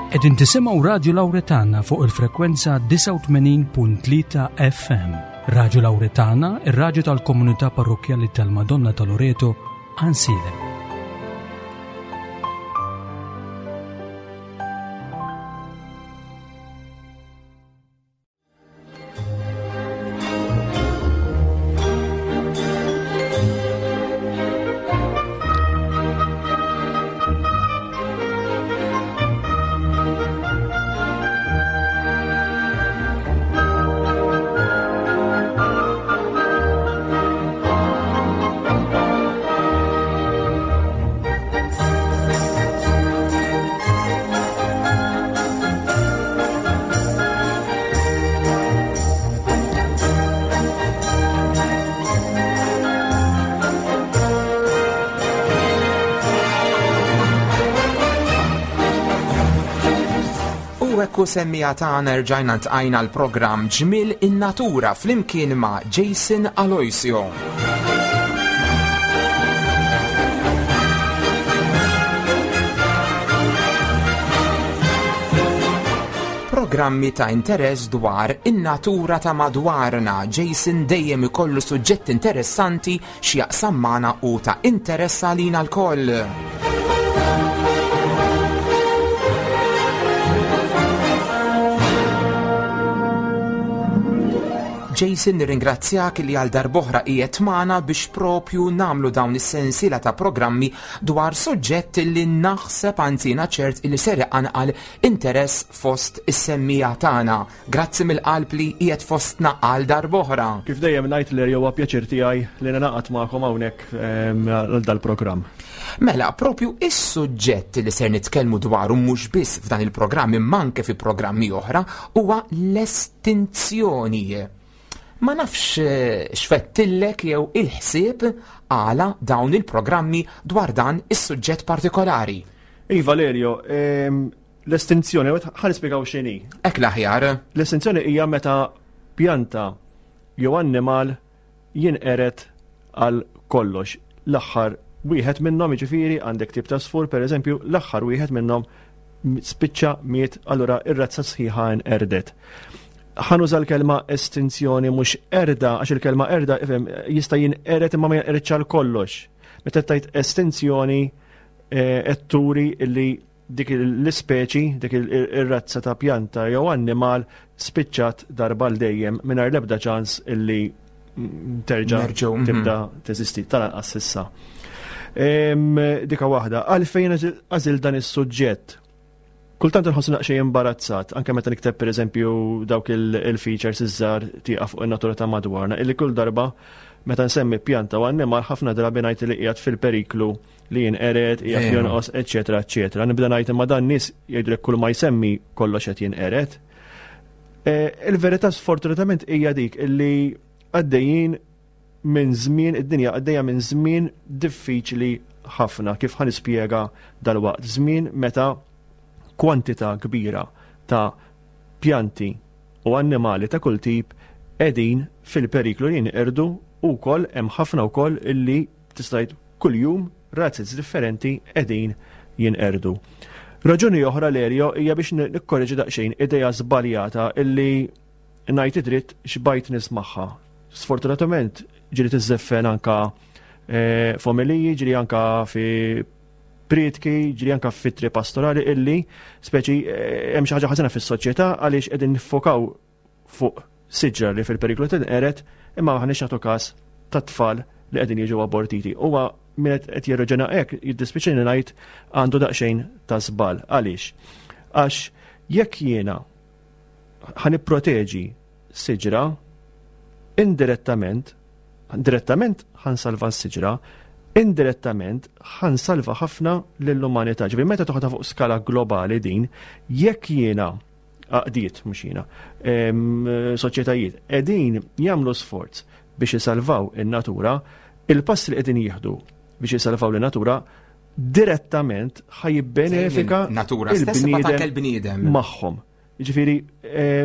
Qegħdin tisimgħu Radju Lawretana fuq il-frekwenza 89.3 FM. Radju Lawretana, ir-radju tal-komunità parrokkjali tal-Madonna ta' Loreto, Ansilem. U ekku semmija tagħna rġajna ntqajna l-programm Ġmil in-Natura flimkien ma' Jason Aloisio. Programmi ta' interess dwar in-natura ta' madwarna. Jason dejjem ikollu suġġett interessanti x'jaqsam magħna u ta' interess għalina lkoll. Jason nirringrazzjak li għal darboħra qiegħed magħna biex propju nagħmlu dawn is-sensiela ta' programmi dwar suġġett li naħseb anzi ċert li ser iqanqal interess fost is-semmiegħa tagħna. Grazzi mill-qalb li qiegħed fostna għal darb'oħra. Kif dejjem ngħid li huwa pjaċir tiegħi li ningħaqad magħkom hawnhekk ehm, għal dal-programm. Mela, propju is-suġġett li ser nitkellmu dwaru mhux biss f'dan il-programm imma anke fi programmi oħra huwa l-estinzjoni. Ma nafx eh, x'fettillek jew il-ħsieb għala dawn il-programmi dwar dan is-suġġett partikolari. Iva Valerio, ehm, L-estinzjoni, ħa nispjegaw x'inhi. Hekk l-aħjar. L-estinzjoni hija meta pjanta jew annimal jinqered għal kollox. L-aħħar wieħed minnhom jiġifieri għandek tip ta' sfur pereżempju, l-aħħar wieħed minnhom spiċċa miet allura ir-razza sħiħa nqerdet. Ħanuża l-kelma estinzjoni mhux erda għax il-kelma erda ifhem jista' jinqered imma ma jinqeredx għal kollox. Meta tgħid estinzjoni eh, qed turi li dik l-ispeċi, dik ir-razza ta' pjanta jew annimal spiċċat darba l dejjem mingħajr l-ebda ċans illi terġa' mhm. tibda teżisti tal-anqas s'issa. Dika waħda, għalfejn għażil dan is-suġġett? Kultant nħossu naqxej imbarazzat, anke meta nikteb pereżempju dawk il-features iż-żgħar tieqa fuq in-natura ta' madwarna, illi kull darba meta nsemmi pjanta u annimal ħafna drabi ngħid li qiegħed fil-periklu li jinqered, qiegħed jonqos, eċetera, eċetera. Nibda ngħid imma dan nies jgħidulek kull ma jsemmi kollox qed jinqered. E, il-verità sfortunatament hija dik illi għaddejjin minn żmien id-dinja għaddejja minn żmien diffiċli ħafna kif ħa nispjega dal-waqt. Żmien meta kwantità kbira ta' pjanti u annimali ta' kull tip qegħdin fil-periklu li jinqerdu u wkoll hemm ħafna wkoll illi tista' tgħid kuljum razzez differenti qegħdin jinqerdu. Raġuni oħra Lerio hija biex nikkorreġi daqsxejn idea żbaljata illi ngħid id-dritt xbajt nismagħha. Sfortunatament ġieli tiżżeffen anka eh, f'omeliji, ġieli anka fi prietki, ġieli anka f'ittri pastorali illi speċi eh, hemm xi ħaġa ħażina fis-soċjetà għaliex qegħdin niffokaw fuq siġra li fil-periklu tinqered imma maħniex nagħtu każ tat-tfal li qegħdin jiġu abortiti. Huwa min qed jirraġuna hekk jiddispiċini ngħid għandu daqsxejn ta' żball. Għaliex? Għax jekk jiena ħa nipproteġi siġra indirettament, direttament ħansalva s-siġra, indirettament ħansalva ħafna lill-umanità. Ġifieri meta toħodha fuq skala globali din, jekk jiena għaqdiet mhux jiena, soċjetajiet qegħdin jagħmlu sforz biex isalvaw in-natura, il-pass li qegħdin jieħdu biex isalvaw in-natura direttament ħa jibbenefika natura stess il-bniedem magħhom. Jiġifieri eh,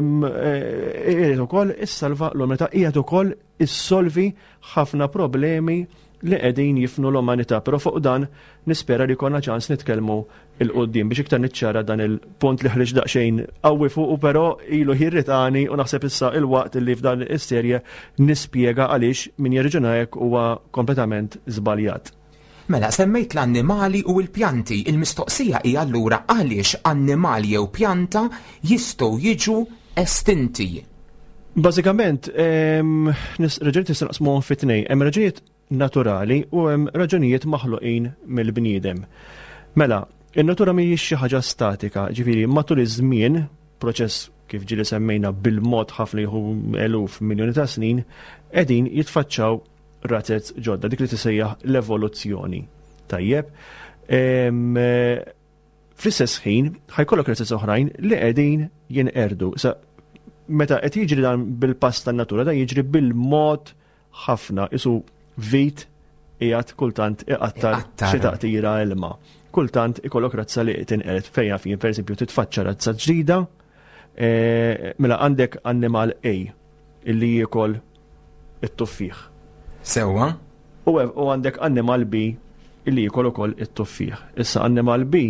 irid ukoll issalva l-umanità qiegħed ukoll issolvi ħafna problemi li qegħdin jifnu l-umanità, però fuq dan nispera li jkollna ċans nitkellmu 'il quddiem biex iktar niċċara dan il-punt li ħriġt daqsxejn qawwi fuqu però ilu jirritani u naħseb issa il-waqt li f'dan is-serje nispjega għaliex min jirriġuna hekk huwa kompletament żbaljat. Mela, semmejt l-annimali u l-pjanti. Il-mistoqsija hi allura għaliex annimal jew pjanta jistgħu jiġu estinti? Bażikament, raġunijiet nistgħu naqsmuhom fi tnejn. Hemm raġunijiet naturali u hemm raġunijiet maħluqin mill-bniedem. Mela, in-natura mhijiex xi ħaġa statika, ġifieri matul iż-żmien, proċess kif ġieli semmejna bil-mod ħafna jieħu eluf miljuni ta' snin, qegħdin jitfaċċaw razez ġodda, dik li tisejjaħ l-evoluzzjoni. Tajjeb. Fl-istess ħin, ħajkollok razez oħrajn li qegħdin jinqerdu. Sa meta qed jiġri dan bil-pass tan-natura, dan jiġri bil-mod ħafna, isu vit qiegħed kultant iqattar xi taqtira ilma. Kultant ikollok razza li tinqered fejn fin, pereżempju titfaċċa razza ġdida, eh, mela għandek annimal A illi jiekol it-tuffieħ. Sewwa. U għandek annimal B illi jiekol ukoll it-tuffieħ. Issa annimal B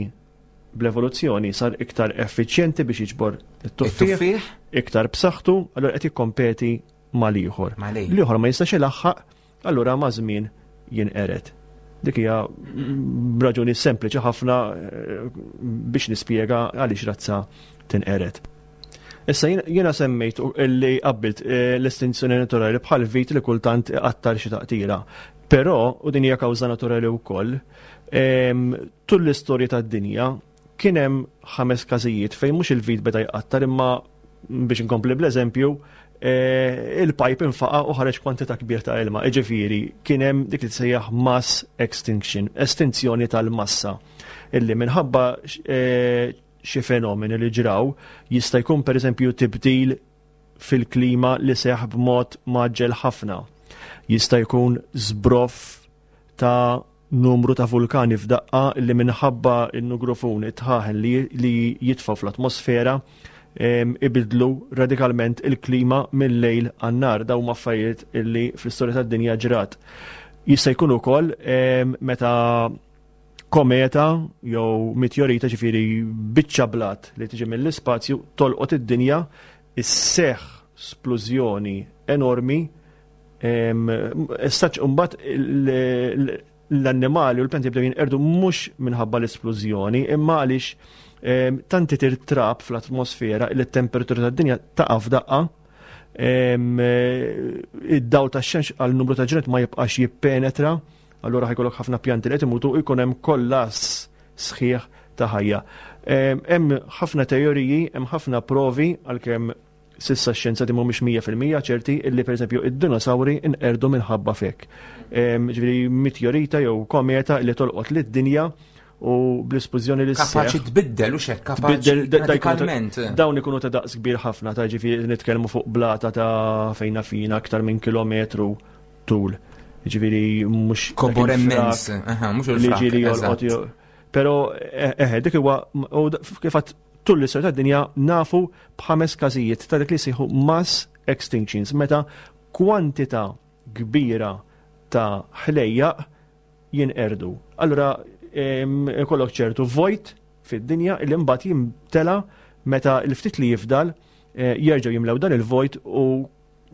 bl-evoluzzjoni sar iktar effiċjenti biex jiġbor it-tuffieħ, iktar b'saħħtu, allura qed jikkompeti mal-ieħor. L-ieħor ma jistax ilaħħaq, allura ma' żmien jinqered. Dik hija raġuni sempliċi ħafna eh, biex nispjega għaliex razza tinqered. Issa jiena semmejt li qabbilt eh, l-estinzjoni naturali bħal vit li kultant iqattar xi taqtira. Però, u din hija kawża naturali wkoll, ehm, tul l-istorja tad-dinja kien hemm ħames każijiet fejn mhux il-vit beda jqattar imma biex inkompli bl-eżempju, eh, il-pipe infaqa u ħareġ kwantità kbir ta' ilma. Iġifieri kien hemm dik li tsejjaħ mass extinction, estinzjoni tal-massa, illi minħabba eh, xi fenomeni li ġraw jista' jkun pereżempju tibdil fil-klima li seħ b'mod maġġel ħafna. Jista' jkun żbroff ta' numru ta' vulkani f'daqqa li minħabba n-nugrufun it-tħaħen li jitfgħu fl-atmosfera ibidlu radikalment il-klima mill-lejl għan-nar. Dawn huma affarijiet li fl-istorja tad-dinja ġrat. Jista' jkun ukoll meta kometa jew meteorita ġifieri biċċa blat li tiġi mill-ispazju tolqot id-dinja isseħħ splużjoni enormi Issa mbagħad l-annimali u l-pjanti jibdew jinqerdu mhux minħabba l-isplużjoni, imma għaliex tant itir trab fl-atmosfera li t-temperatura tad-dinja taqa' f'daqqa id-dawl tax-xemx għal numru ta' ġranet ma jibqax jippenetra, allura ħajkollok ħafna pjanti li qed imutu u jkun hemm kollass sħiħ ta' ħajja. Hemm ħafna teoriji, hemm ħafna provi għalkemm S'issa x-xjenzati mhumiex 100% ċerti illi pereżempju id-dinosawri nqerdu minħabba f'hekk. Ġifieri meteorita jew kometa li tolqot lid-dinja u bl-ispużjoni li Kapaċi tbiddel u xek kapaċi radikalment. Dawn ikunu ta' daqs kbir ħafna ta' ġifieri nitkellmu fuq blata ta' fejna fina aktar minn kilometru tul. Ġifieri mhux kobor immens, mhux il-frak. Li jolqot. Però eħe dik huwa kif Tul l-istorja tad-dinja nafu b'ħames każijiet ta' dak li jsejħu mass extinctions, meta kwantità kbira ta' ħlejjaq jinqerdu. Allura ikollok ċertu vojt fid-dinja li mbagħad jimtela meta l-ftit li jifdal eh, jerġgħu jimlew dan il-vojt u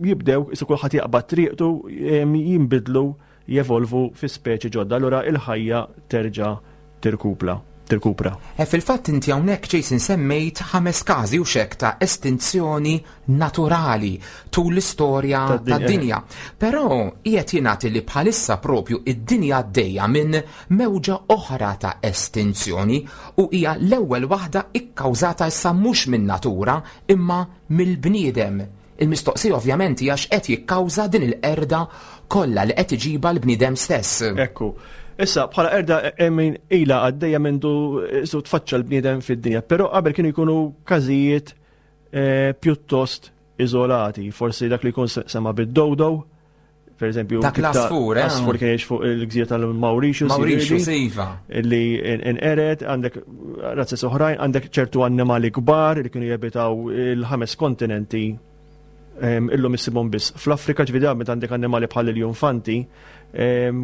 jibdew isu kulħadd jaqbad triqtu jinbidlu jevolvu fi speċi ġodda, allura il-ħajja terġa' tirkupla tirkupra. E fil-fatt inti hawnhekk Jason semmejt ħames każi u xek ta' estinzjoni naturali tul l-istorja tad-dinja. Però qiegħed jingħad li bħalissa propju id-dinja għaddejja minn mewġa oħra ta' estinzjoni u hija l-ewwel waħda ikkawżata issa mhux min-natura imma mill-bniedem. Il-mistoqsija ovvjament hija x'qed jikkawża din il-qerda kollha li qed iġibha l-bniedem stess. Ekku. Issa, bħala qerda min ilha għaddejja mindu su tfaċċa l-bniedem fid-dinja, però qabel kienu jkunu każijiet eh, pjuttost iżolati, forsi dak li jkun sema bid-dodo, Per eżempju, dak l-asfur, eh? Asfur kien jgħix fuq il-gżira tal-Mauritius. Mauritius, iva. Li inqered, għandek razzes oħrajn, għandek ċertu annimali kbar li kienu jabitaw il-ħames kontinenti Illum issibhom biss fl-Afrika ġifieri meta għandek annimali bħal il-junfanti,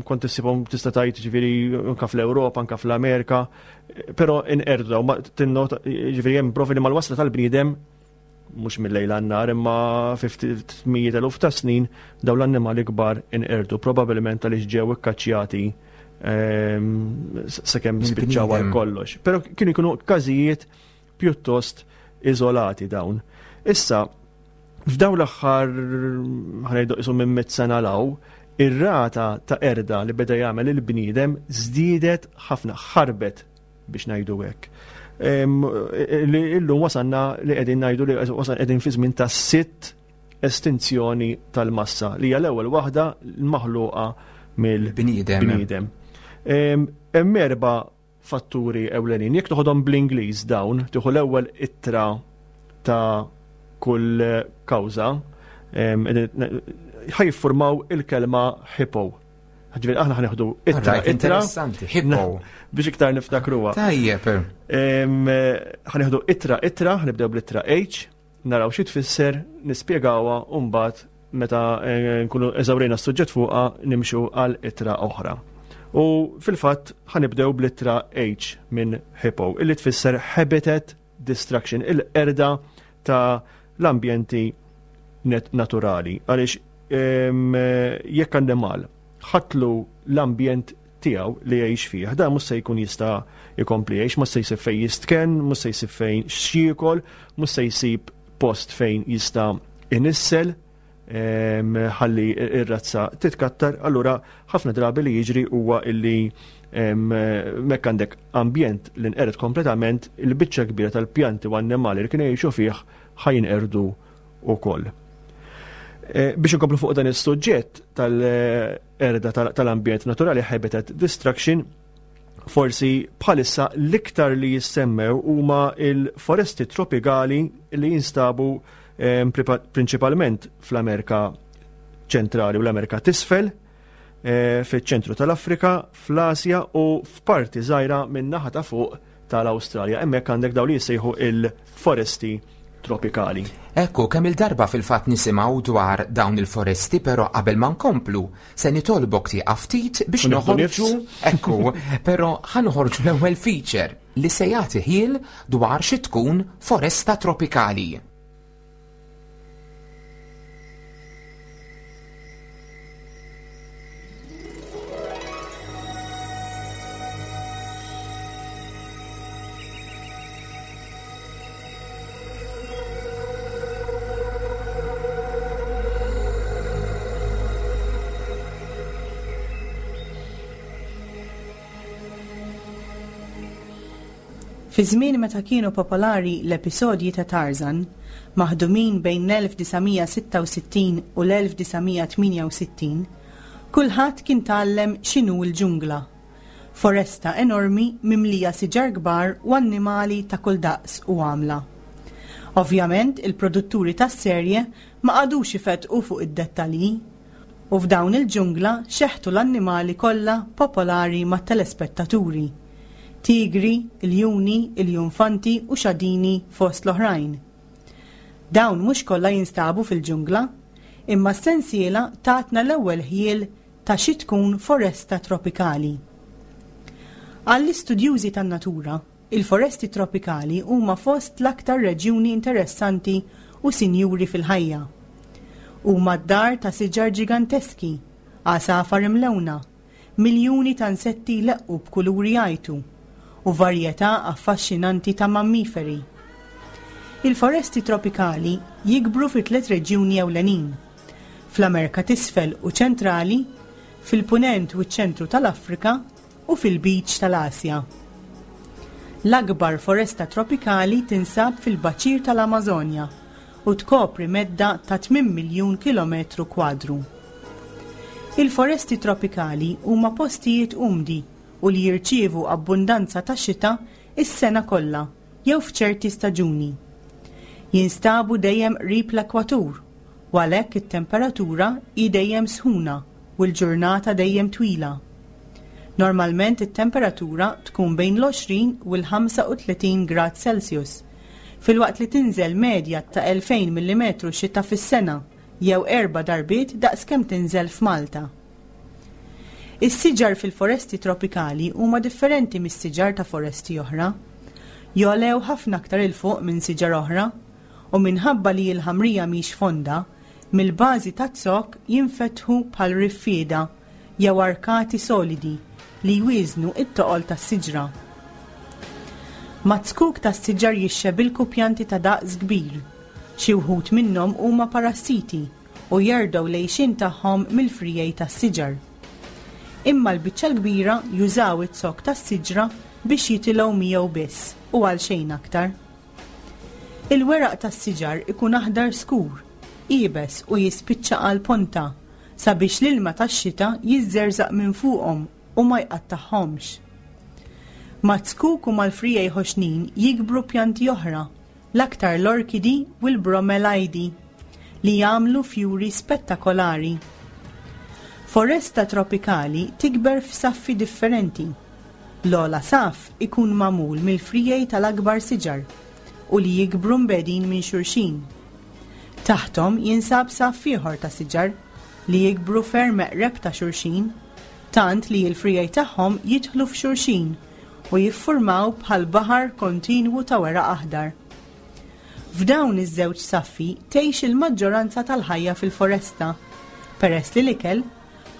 kont issibhom tista' tgħid ġifieri anke fl-Ewropa, anke fl-Amerika, però inqerdu ma tinnota ġifieri hemm provi li mal-wasla tal-bniedem mhux mill-lejl għan-nar imma fi ftit mijiet eluf ta' snin dawn l-annimali kbar inqerdu probabbilment għaliex ġew ikkaċċjati sakemm spiċċaw għal kollox. Però kienu jkunu każijiet pjuttost iżolati dawn. Issa, f'dawn l-aħħar ħanejdu isu minn mit sena law, ir-rata ta' erda li beda jagħmel il-bniedem żdiedet ħafna, ħarbet biex ngħidu hekk. Li illum wasanna li qegħdin ngħidu li wasan qegħdin fi żmien ta' sitt estinzjoni tal-massa li hija l-ewwel waħda maħluqa mill-bniedem. Hemm erba' fatturi ewlenin. Jekk toħodhom bl-Ingliż dawn, tieħu l-ewwel ittra ta' kull kawża, ħa jiffurmaw il-kelma hippo. Ġifieri aħna ħanieħdu ittra ittra. Interessanti, hippo. Biex iktar niftakruha. Tajjeb. Ħanieħdu ittra ittra, ħanibdew bl-ittra H, naraw xi tfisser, nispjegawha u mbagħad meta eh, nkunu eżawrejna s-suġġett fuqha nimxu għal ittra oħra. U fil-fatt ħanibdew bl-ittra H minn hippo, illi tfisser habitat destruction, il-qerda ta' l-ambjenti naturali. Għaliex jekk annimal ħatlu l-ambjent tiegħu li jgħix fih, dan mhux se jkun jista' jkompli jgħix, mhux se jsib fejn jistkenn, mhux se jsib fejn x'jiekol, mhux se jsib post fejn jista' inissel ħalli ir-razza titkattar, allura ħafna drabi li jiġri huwa illi mekk għandek ambjent li nqered kompletament, il-biċċa kbira tal-pjanti u annimali li kienu jgħixu fih ħa jinqerdu ukoll. Eh, biex inkomplu fuq dan is-suġġett tal-erda tal-ambjent naturali habitat destruction, forsi bħalissa l-iktar li jissemmew huma il-foresti tropikali li jinstabu eh, prinċipalment fl-Amerika ċentrali u l-Amerika t'isfel, eh, fiċ-ċentru tal-Afrika, fl-Asja u f'parti żgħira minn naħa ta' fuq tal-Awstralja. Hemmhekk għandek dawn li jissejħu il-foresti tropikali. Ekku, kemm il-darba fil-fatt nisimgħu dwar dawn il-foresti, però qabel ma nkomplu, se nitolbok tieqaf ftit biex noħorġu. Ekku, però ħa noħorġu l-ewwel feature li se jagħti ħiel dwar xi tkun foresta tropikali. Fi żmien meta kienu popolari l-episodji ta' Tarzan, maħdumin bejn l-1966 u l-1968, kulħadd kien tgħallem x'inhu l-ġungla, foresta enormi mimlija siġar kbar u annimali ta' kull daqs u għamla. Ovvjament il-produtturi tas-serje ma qagħdux ifettqu fuq id-dettalji. U f'dawn il-ġungla xeħtu l-annimali kollha popolari mat-telespettaturi, tigri, iljuni, iljunfanti u xadini fost l-oħrajn. Dawn mhux kollha jinstabu fil-ġungla, imma s-sensiela tatna l-ewwel ħjiel ta' xi tkun foresta tropikali. Għall-istudjużi tan-natura, Il-foresti tropikali huma fost l-aktar reġjuni interessanti u sinjuri fil-ħajja. Huma d-dar ta' siġar ġiganteski, għasafar imlewna, miljuni ta' insetti jleqqu b'kuluri jgħajtu, u varjetà affaxxinanti ta' mammiferi. Il-foresti tropikali jikbru fi tliet reġjuni ewlenin, fl-Amerka t'Isfel u Ċentrali, fil-Punent u ċ-Ċentru tal-Afrika, u fil-Lbiċ tal-Asja. L-akbar foresta tropikali tinsab fil-baċir tal-Amażonja u tkopri medda ta' 8 miljun kilometru kwadru. Il-foresti tropikali huma postijiet umdi u li jirċievu abbundanza ta' xita s-sena kollha jew f'ċerti staġuni. Jinstabu dejjem qrib l-ekwatur u għalhekk it-temperatura hi dejjem sħuna u l-ġurnata dejjem twila. Normalment it-temperatura tkun bejn l-20 u l-35 grad Celsius, filwaqt li tinżel medja ta' 2,000 millimetru xita fis-sena, jew erba' darbiet daqs kemm tinżel f'Malta. Is-siġar fil-foresti tropikali huma differenti mis-siġar ta' foresti oħra. Jogħlew ħafna aktar 'il fuq minn siġar oħra, u minħabba li l-ħamrija mhix fonda, mill-bażi taz-zokk jinfetħu bħal riffieda jew arkati solidi li jwieżnu t-toqol tas-siġra. Maz-zkuk tas-siġar jixxebilku pjanti ta' daqs kbir. Xi wħud minnhom huma parassiti u jerdgħu l-għixien tagħhom mill-friegħi tas-siġar. Imma l-biċċa l-kbira jużaw iz-zokk tas-siġra biex jitilgħu miegħu biss u għal xejn aktar. Il-weraq tas-siġar ikun aħdar skur, iebes u jispiċċa għall-ponta sabiex l-ilma tax-xita jiżżerżaq minn fuqhom u ma jqattagħhomx. Maz-zkuk u mal-friegħi ħoxnin jikbru pjanti oħra, l-aktar l-orkidi u l-bromelaidi, li jagħmlu fjuri spettakolari. Foresta tropikali tikber f'saffi differenti. L-ogħla saff ikun magħmul mill-friegħi tal-akbar siġar u li jikbru mbegħdin minn xulxin. Taħthom jinsab saff ieħor ta' siġar li jikbru ferm eqreb ta' xulxin, tant li l-friegħi tagħhom jidħlu f'xulxin u jiffurmaw bħal baħar kontinwu ta' weraq aħdar. F'dawn iż-żewġ saffi tgħix il-maġġoranza tal-ħajja fil-foresta, peress li l-ikel,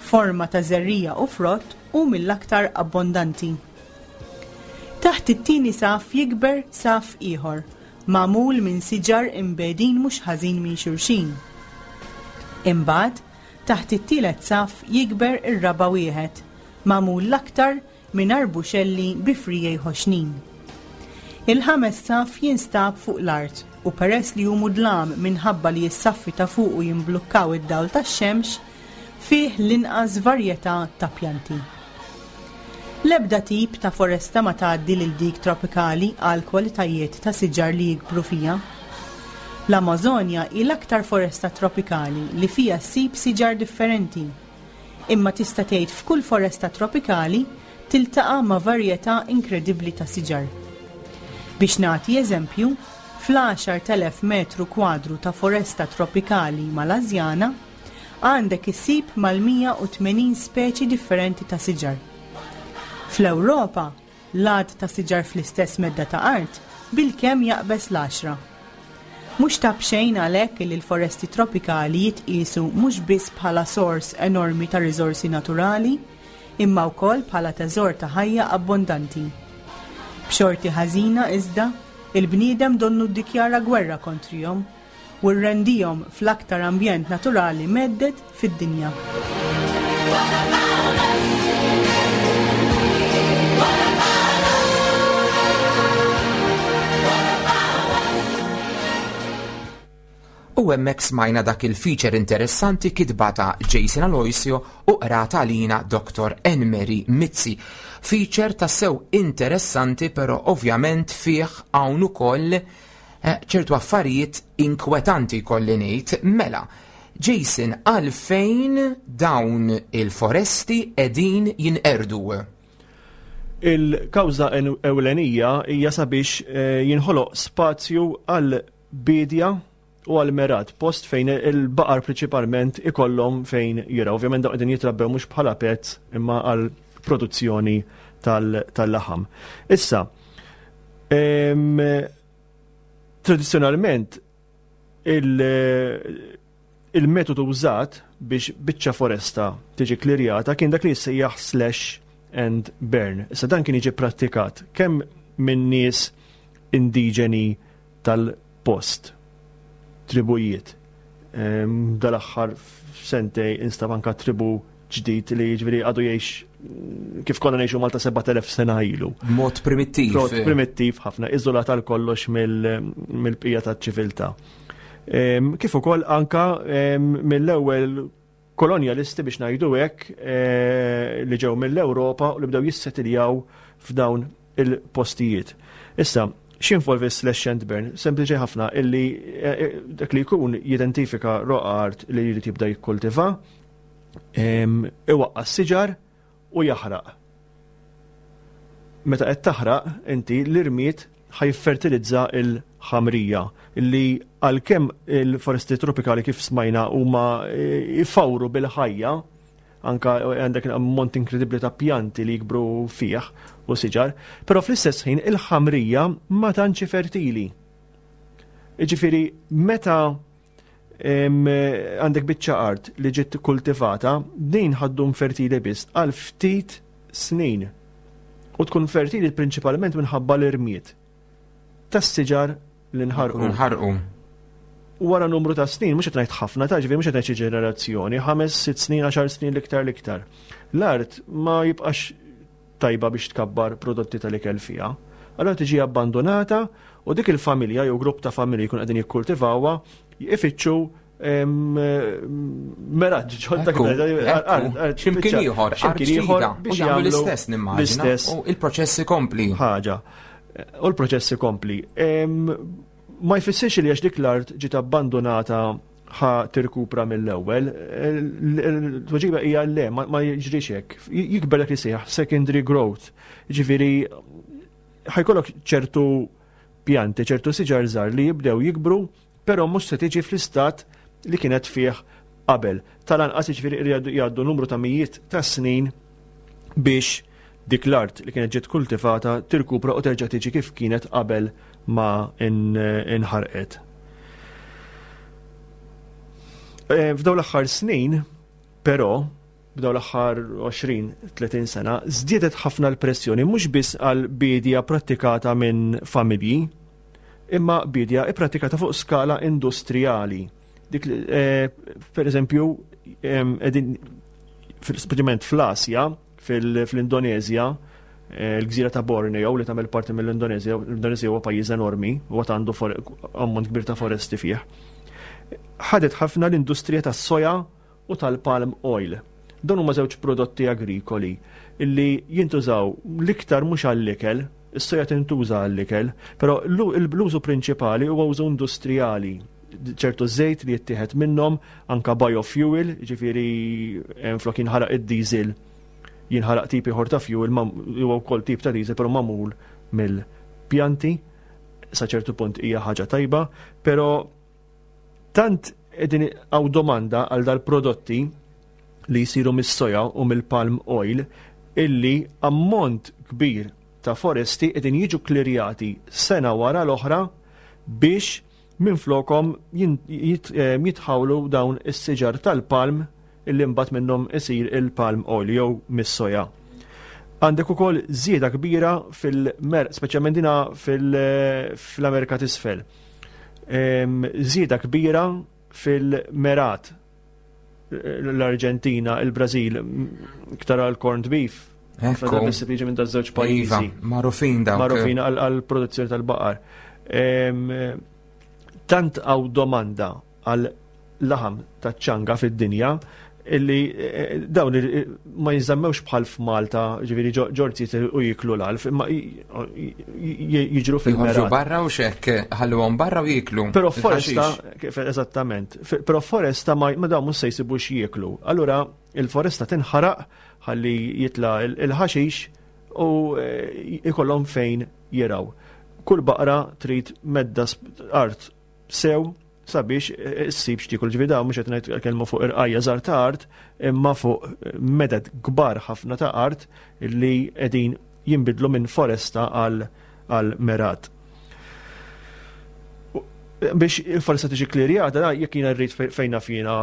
forma ta' żerriegħa u frott, hu mill-aktar abbondanti. Taħt it-tieni saff jikber saff ieħor, magħmul minn siġar imbegħdin mhux ħażin minn xulxin. Imbagħad, taħt it-tielet saff jikber ir-raba' wieħed, magħmul l-aktar minn arbuxelli bi friegħi ħoxnin. Il-ħames saff jinstab fuq l-art u peress li hu mudlam minħabba li s-saffi ta' fuqu jimblukkaw id-dawl tax-xemx, fih l-inqas varjetà ta' pjanti. L-ebda tip ta' foresta ma tgħaddi lil dik tropikali għal kwalitajiet ta' siġar li jikbru fiha. L-Amażonja hi l-aktar foresta tropikali li fiha ssib siġar differenti. Imma tista' tgħid f'kull foresta tropikali tiltaqa' ma' varjetà inkredibbli ta' siġar. Biex nagħti eżempju, fl-10,000 metru kwadru ta' foresta tropikali Malażjana, Għandek issib mal-180 speċi differenti ta' siġar. Fl-Ewropa, l-għadd ta' siġar fl-istess medda ta' art bilkemm jaqbeż l-għaxra. Mhux ta' b'xejn għalhekk illi l-foresti tropikali jitqiesu mhux biss bħala sors enormi ta' riżorsi naturali, imma wkoll bħala teżor ta' ħajja abbondanti. B'xorti ħażina, iżda, il-bniedem donnu ddikjara gwerra kontrihom. u rrendihom fl-aktar ambjent naturali mhedded fid-dinja. U hemmhekk smajna dak il-feature interessanti kitba ta' Jason Aloisio u qrata għalina Dr. Enmeri Mizzi. Feature tassew interessanti però ovvjament fih hawn ukoll Eh, ċertu affarijiet inkwetanti jkolli ngħid, mela, Jason, għalfejn dawn il-foresti qegħdin jinqerdu? Il-kawża ewlenija hija sabiex eh, jinħoloq spazju għal bidja u għal merat, post fejn il-baqar prinċipalment ikollhom fejn jiraw. Ovvjament dawn qegħdin jitrabbew mhux bħala pets imma għal produzzjoni tal-laħam. Issa, Tradizzjonalment il-metodu użat biex biċċa foresta tiġi klirjata kien dak li jissejjaħ slash and burn. Issa dan kien jiġi prattikat kemm minn nies indiġeni tal-post, tribujiet. Dal-aħħar sentej instab anka tribu ġdid li jiġifieri għadu jgħix kif konna ngħixu Malta 7000 sena ilu. Mod primittiv. Mod primittiv ħafna, iżolat għal kollox mill-bqija taċ-ċiviltà. Kif ukoll anka mill-ewwel kolonjalisti biex ngħidu hekk eh, li ġew mill-Ewropa u li bdew jissetiljaw f'dawn il-postijiet. Issa, x'involvi slash and burn? Sempliċi ħafna illi eh, eh, dak li jkun jidentifika roqa art li jrid jibda jikkultiva, iwaqqa' s-siġar u jaħraq. Meta qed taħraq inti l-irmied ħa jiffertilizza l-ħamrija li għalkemm il-foresti tropikali kif smajna huma jfawru bil-ħajja, anka għandek ammont inkredibbli ta' pjanti li jikbru fih u siġar, però fl-istess ħin il-ħamrija ma tantx fertili. Jiġifieri meta għandek biċċa art li ġiet kultivata, din ħaddum fertili biss għal ftit snin. U tkun fertili prinċipalment minħabba l-irmied tas-siġar li nħarqu. Nħarqu. Wara numru ta' snin, mhux qed ngħid ħafna ta' ġifieri mhux qed ngħid xi ġenerazzjoni, ħames, sitt snin, għaxar snin l-iktar l-iktar. L-art ma jibqax tajba biex tkabbar prodotti tal-ikel fiha. Allura tiġi abbandonata u dik il-familja jew grupp ta' familji jkun qegħdin jikkultivawha ifittxu meraġ ġodda X'imkien ieħor, x'imkien ieħor biex jagħmlu l-istess nimmaġina. U il-proċess ikompli. Ħaġa. U l-proċess ikompli. Ma jfissirx li għax dik l-art ġiet abbandonata ħa tirkupra mill-ewwel. Tweġiba hija le, ma jiġrix hekk. Jikber dak li sejjaħ secondary growth. Ġifieri ħajkollok ċertu pjanti, ċertu siġar żgħar li jibdew jikbru, però mhux se tiġi fl-istat li kienet fih qabel. Tal-anqas jiġifieri jgħaddu numru ta' mijiet ta' snin biex dik l-art li kienet ġiet kultivata tirkupra u terġa' tiġi kif kienet qabel ma inħarqet. Eh, f'dawn l-aħħar snin, però, b'dawn l-aħħar 20-30 sena, żdiedet ħafna l-pressjoni mhux biss għal biedja prattikata minn familji, imma biedja ipprattikata fuq skala industrijali. Dik, eh, per eżempju, edin, speċjalment fl-Asja, fil-Indonezja, eh, l-gżira ta' Borneo li tagħmel parti mill-Indonezja, l-Indonezja huwa pajjiż enormi u għad għandu ammont kbir ta' foresti fih. Ħadet ħafna l-industrija tas-soja u tal-palm oil. Dawn huma żewġ prodotti agrikoli illi jintużaw l-iktar mhux għall-ikel, is-soja tintuża għall-ikel, però l-użu prinċipali huwa użu industrijali ċertu żejt li jittieħed minnhom, anka biofuel, ġifieri eh, flok jinħaraq id-diesel jinħaraq tip ieħor ta' fuel huwa wkoll tip ta' diesel però magħmul mill-pjanti sa ċertu punt hija ħaġa tajba, però tant qegħdin hawn domanda għal dal-prodotti li jsiru mis-soja u mill-palm oil illi ammont kbir ta' foresti qegħdin jiġu klirjati sena wara l-oħra biex Minflokhom jitħawlu dawn is-siġar tal-palm illi mbagħad minnhom isir il-palm oil jew mis-soja. Għandek ukoll żieda kbira fil-mer, speċjalment dina fil-Amerika t'isfel. Żieda kbira fil-merat l-Arġentina, il-Brażil, iktar għal corned beef. Ekku. Biss jiġi minn daż-żewġ iva, pajjiżi. Magħrufin dawk. Magħrufin għal produzzjoni tal-baqar. Tant għaw domanda għal laħam ta' ċanga fid-dinja illi eh, dawn eh, ma jinżammewx bħal f'Malta, ġifieri ġorzi u jiklu l-alf, imma jiġru fil-mergħat. barra u xekk, ħalluhom barra u jiklu. Però foresta, kif eżattament, però foresta ma dawn mhux se jsibu x'jieklu. Allura il-foresta tinħaraq ħalli jitla il-ħaxix u eh, ikollhom fejn jiraw. Kull baqra trid medda art sew sabiex eh, issib x'tiekol ġifieri dawn mhux qed ngħid kelma fuq irqajja żgħar ta' art imma fuq eh, meded kbar ħafna ta' art li qegħdin jinbidlu minn foresta għal għal merat. Biex il-foresta tiġi klirjata, jekk jiena rrid fejn naf jiena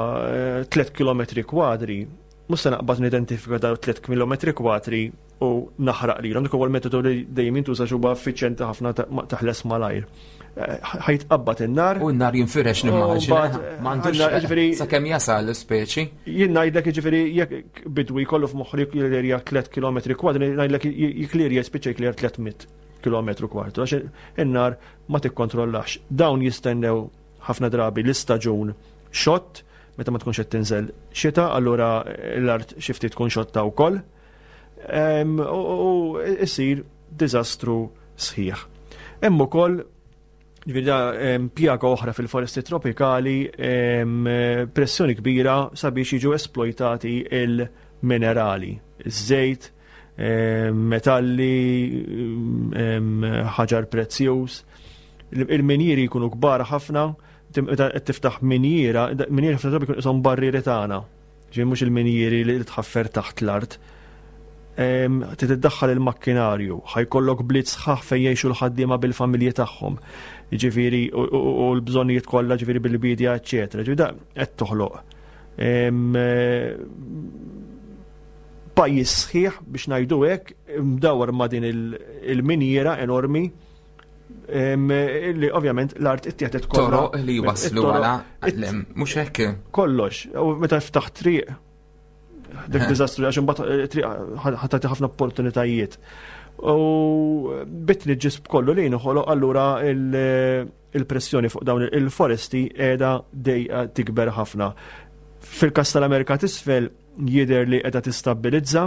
3 eh, km kwadri, mhux se naqbad nidentifika dawn 3 km kwadri u naħraq lilhom. Dik huwa l-metodu li dejjem jintuża huwa effiċjenti ħafna taħles malajr. Eh, ħajtqabbad in-nar. U n-nar jinfirex nimmaġina. M'għandux ġifieri sakemm jasal l-ispeċi. Jien ngħidlek jiġifieri jekk bidwi jkollu f'moħħu jiklirja 3 km kwadri, ngħidlek jiklirja jispiċċa jiklirja 300 km kwartu għax in-nar ma tikkontrollax. Dawn jistennew ħafna drabi l-istaġun xott meta ma tkunx qed tinżel xita, allura l-art xi ftit tkun xotta wkoll. U isir diżastru sħiħ. Hemm ukoll ġifieri pjaga oħra fil-foresti tropikali pressjoni kbira sabiex jiġu esploitati il-minerali, iż-żejt. metalli, ħaġar prezzjuż. Il-minjieri jkunu kbar ħafna, meta qed tiftaħ minjiera, minjiera ħafna drabi jkun qishom barrieri tagħna. Ġifieri mhux il-minjieri li tħaffer taħt l-art. Trid iddaħħal il-makkinarju, ħajkollok bliet sħaħ fejn jgħixu l-ħaddiema bil-familji tagħhom. Ġifieri u l-bżonnijiet kollha ġifieri bil-bidja, eċċetera. Ġifieri da qed toħloq pajjiż sħiħ biex ngħidu hekk mdawwar ma' din il-minjiera enormi li ovvjament l-art ittieħdet kollha. Toroq li waslu għala mhux hekk. Kollox, u meta ftaħ triq dik diżastru għax imbagħad eh, triq ħatati ħafna opportunitajiet. U bitni ġisb kollu li nħoloq allura il-pressjoni fuq dawn il-foresti qiegħda dejqa tikber ħafna. Fil-kas tal-Amerika t'isfel jidher li qiegħda tistabbilizza,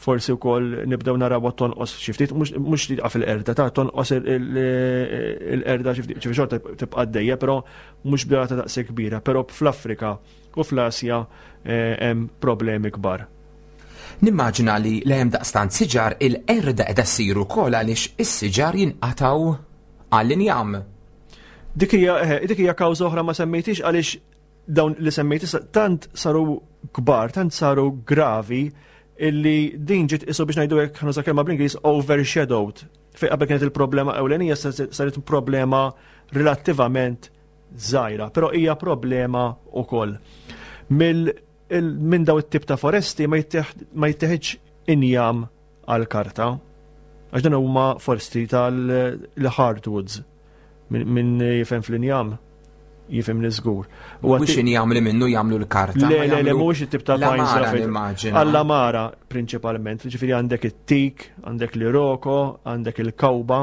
forsi wkoll nibdew naraw tonqos xi ftit, mhux li tqaf il-qerda, ta' tonqos il-qerda xi ftit, xorta tibqa' għaddejja, però mhux b'rata daqshekk kbira, però fl-Afrika u fl-Asja eh, hemm problemi kbar. Nimmaġina li l hemm daqstant siġar il-qerda qiegħda ssir ukoll għaliex is-siġar jinqatgħu għall-injam. Dik hija eh, dik hija kawża oħra ma semmejtix għaliex dawn li semmejt issa tant saru kbar, tant saru gravi illi din ġiet isu biex ngħidu hekk ħanuża kelma bl-Ingliż overshadowed. Fejn qabel kienet il-problema ewlenija saret problema relattivament żgħira, però hija problema wkoll. Minn daw it-tip ta' foresti ma jitteħidx injam għall-karta. Għax dan huma foresti tal-hardwoods. Min jifhem fl-injam, jifhem li żgur. Mhux injam li minnu jagħmlu l-karta. Le, le, le, mhuwiex it-tip ta' pines. Għall-amara prinċipalment, ġifieri għandek it-tik, għandek l-iroko, għandek il-kawba,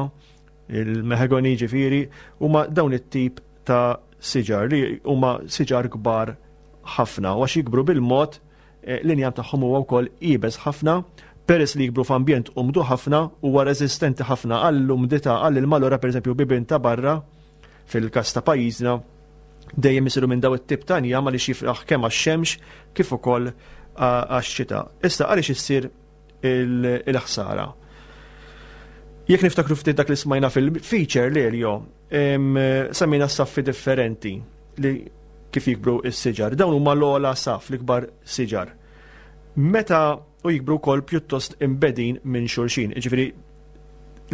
il-mahogany ġifieri, huma dawn it-tip ta' siġar li huma siġar kbar ħafna u għax jikbru bil-mod Eh, l-injam tagħhom huwa wkoll iebes ħafna, peress li jikbru f'ambjent umdu ħafna huwa reżistenti ħafna għall-umdità għall-ilma allura pereżempju bibien ta' barra fil-każ ta' pajjiżna dejjem isiru minn daw it-tip ta' injam għaliex jifraħ kemm għax-xemx kif ukoll għax-xita. Issa għaliex issir il-ħsara. Jekk niftakru ftit dak li smajna fil-feature Lelio, semmejna saffi differenti li kif jikbru s-siġar. Dawn huma l-ogħla saf, l-ikbar siġar. Meta u jikbru wkoll pjuttost imbedin minn xulxin, jiġifieri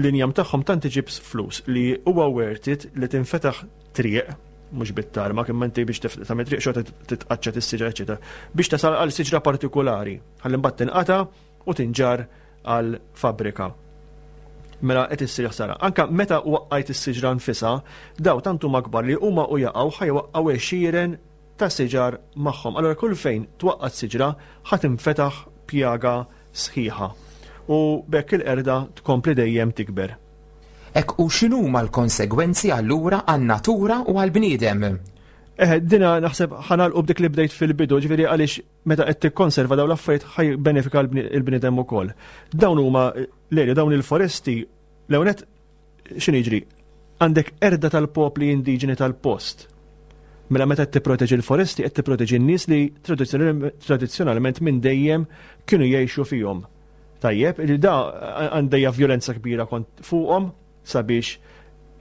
l-injam tagħhom tant iġib flus li huwa worth it li tinfetaħ triq mhux bit-tarma, imma inti biex tagħmel triq xorta titqaċċat is-siġra, eċetera, biex tasal għal siġra partikolari, ħalli mbagħad tinqata' u tinġarr għal fabbrika. Mela qed issir ħsara. Anka meta waqqajt is-siġra nfisha, daw tant huma kbar li huma u jaqgħu ħajwaqqgħu għexieren ta' siġar magħhom. Allura kull fejn twaqqat siġra ħa tinfetaħ pjaga sħiħa. U b'hekk il-qerda tkompli dejjem tikber. Hekk u x'inhuma l-konsegwenzi allura għan-natura u għall-bniedem? Eh, dina naħseb ħanalqu b'dik li bdejt fil-bidu, ġifieri għaliex meta qed tikkonserva dawn l-affarijiet ħaj benefika l-bniedem ukoll. Dawn huma l dawn il-foresti l-ewnet x'inhu jiġri? Għandek erda tal-popli indiġeni tal-post. Mela meta qed tipproteġi l-foresti qed tipproteġi n-nies li tradizzjonalment minn dejjem kienu jgħixu fihom. Tajjeb, li da għandejja vjolenza kbira kont fuqhom sabiex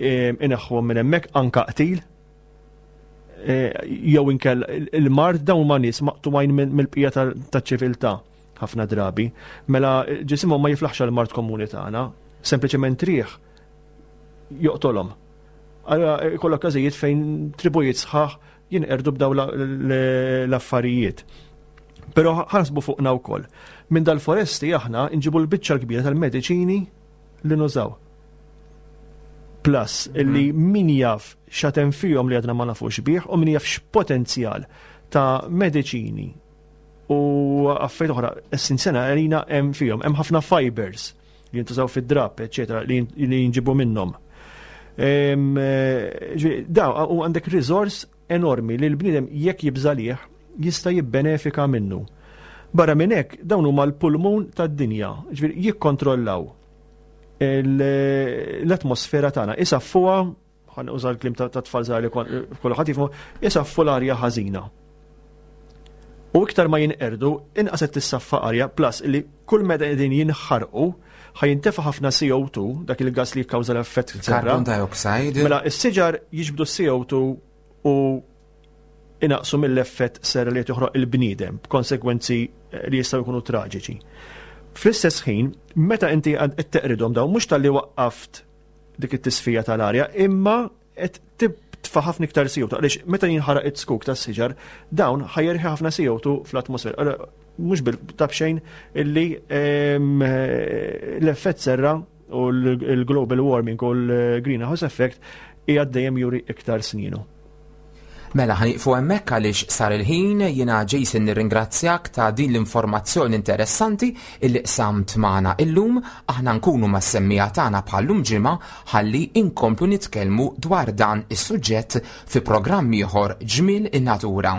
eh, ineħħuhom minn hemmhekk anka qtil Eh, jew inkell il-mard dawn ma nies maqtuwajn mill-bqija taċ-ċiviltà ħafna drabi. Mela ġisimhom ma jiflaħx għal mard komuni tagħna, sempliċement riħ joqtolhom. Allora eh, kollok każijiet fejn tribujiet sħaħ jinqerdu b'daw l-affarijiet. Però ħarsbu fuqna wkoll. Minn dal-foresti aħna nġibu l-biċċa l-kbira tal-mediċini li nużaw. Plus, illi mhm. min jaf xatem fihom li għadna ma nafux bih u min jaf x'potenzjal ta' mediċini u affarijiet oħra essenzjali għalina hemm fihom. Hemm ħafna fibers li jintużaw fid-drab, eċetera, li jinġibu minnhom. Eh, da, u għandek resource enormi li l-bniedem jekk jibżalih jista' jibbenefika minnu. Barra minn hekk dawn huma l-pulmun tad-dinja, ġifieri jikkontrollaw l-atmosfera tagħna, isaffuha ħan uża l-klim ta' tfal żgħar li kulħadd jifhmu, isaffu l-arja ħażina. U iktar ma jinqerdu, inqas qed tissaffa arja, plus li kull meta qegħdin jinħarqu, ħa jintefa' ħafna CO2, dak il-gas li jikkawża l-effett serra. Carbon dioxide. Mela, is-siġar jiġbdu CO2 u inaqsu mill-effett serra li qed joħroq il-bniedem b'konsegwenzi eh, li jistgħu jkunu traġiċi. Fl-istess ħin, meta inti qed teqridhom dawn mhux talli waqqaft dik it-tisfija tal-arja, imma qed titfa' ħafna iktar CO2 għaliex meta jinħaraq it-skuk tas-siġar dawn ħajerħi ħafna CO2 fl-atmosfera. Mhux bil-tabxejn illi ehm, l-effett serra u l-global warming u l-greenhouse effect hija dejjem juri iktar sninu. Mela ħaniqfu hemmhekk għaliex sar il-ħin, jiena Jason nirringrazzjak ta' din l-informazzjoni interessanti illi qsamt magħna illum, aħna nkunu mas-semmiegħa tagħna bħal-lum ġimgħa ħalli inkomplu nitkellmu dwar dan is-suġġett fi programm ieħor Ġmiel in-Natura.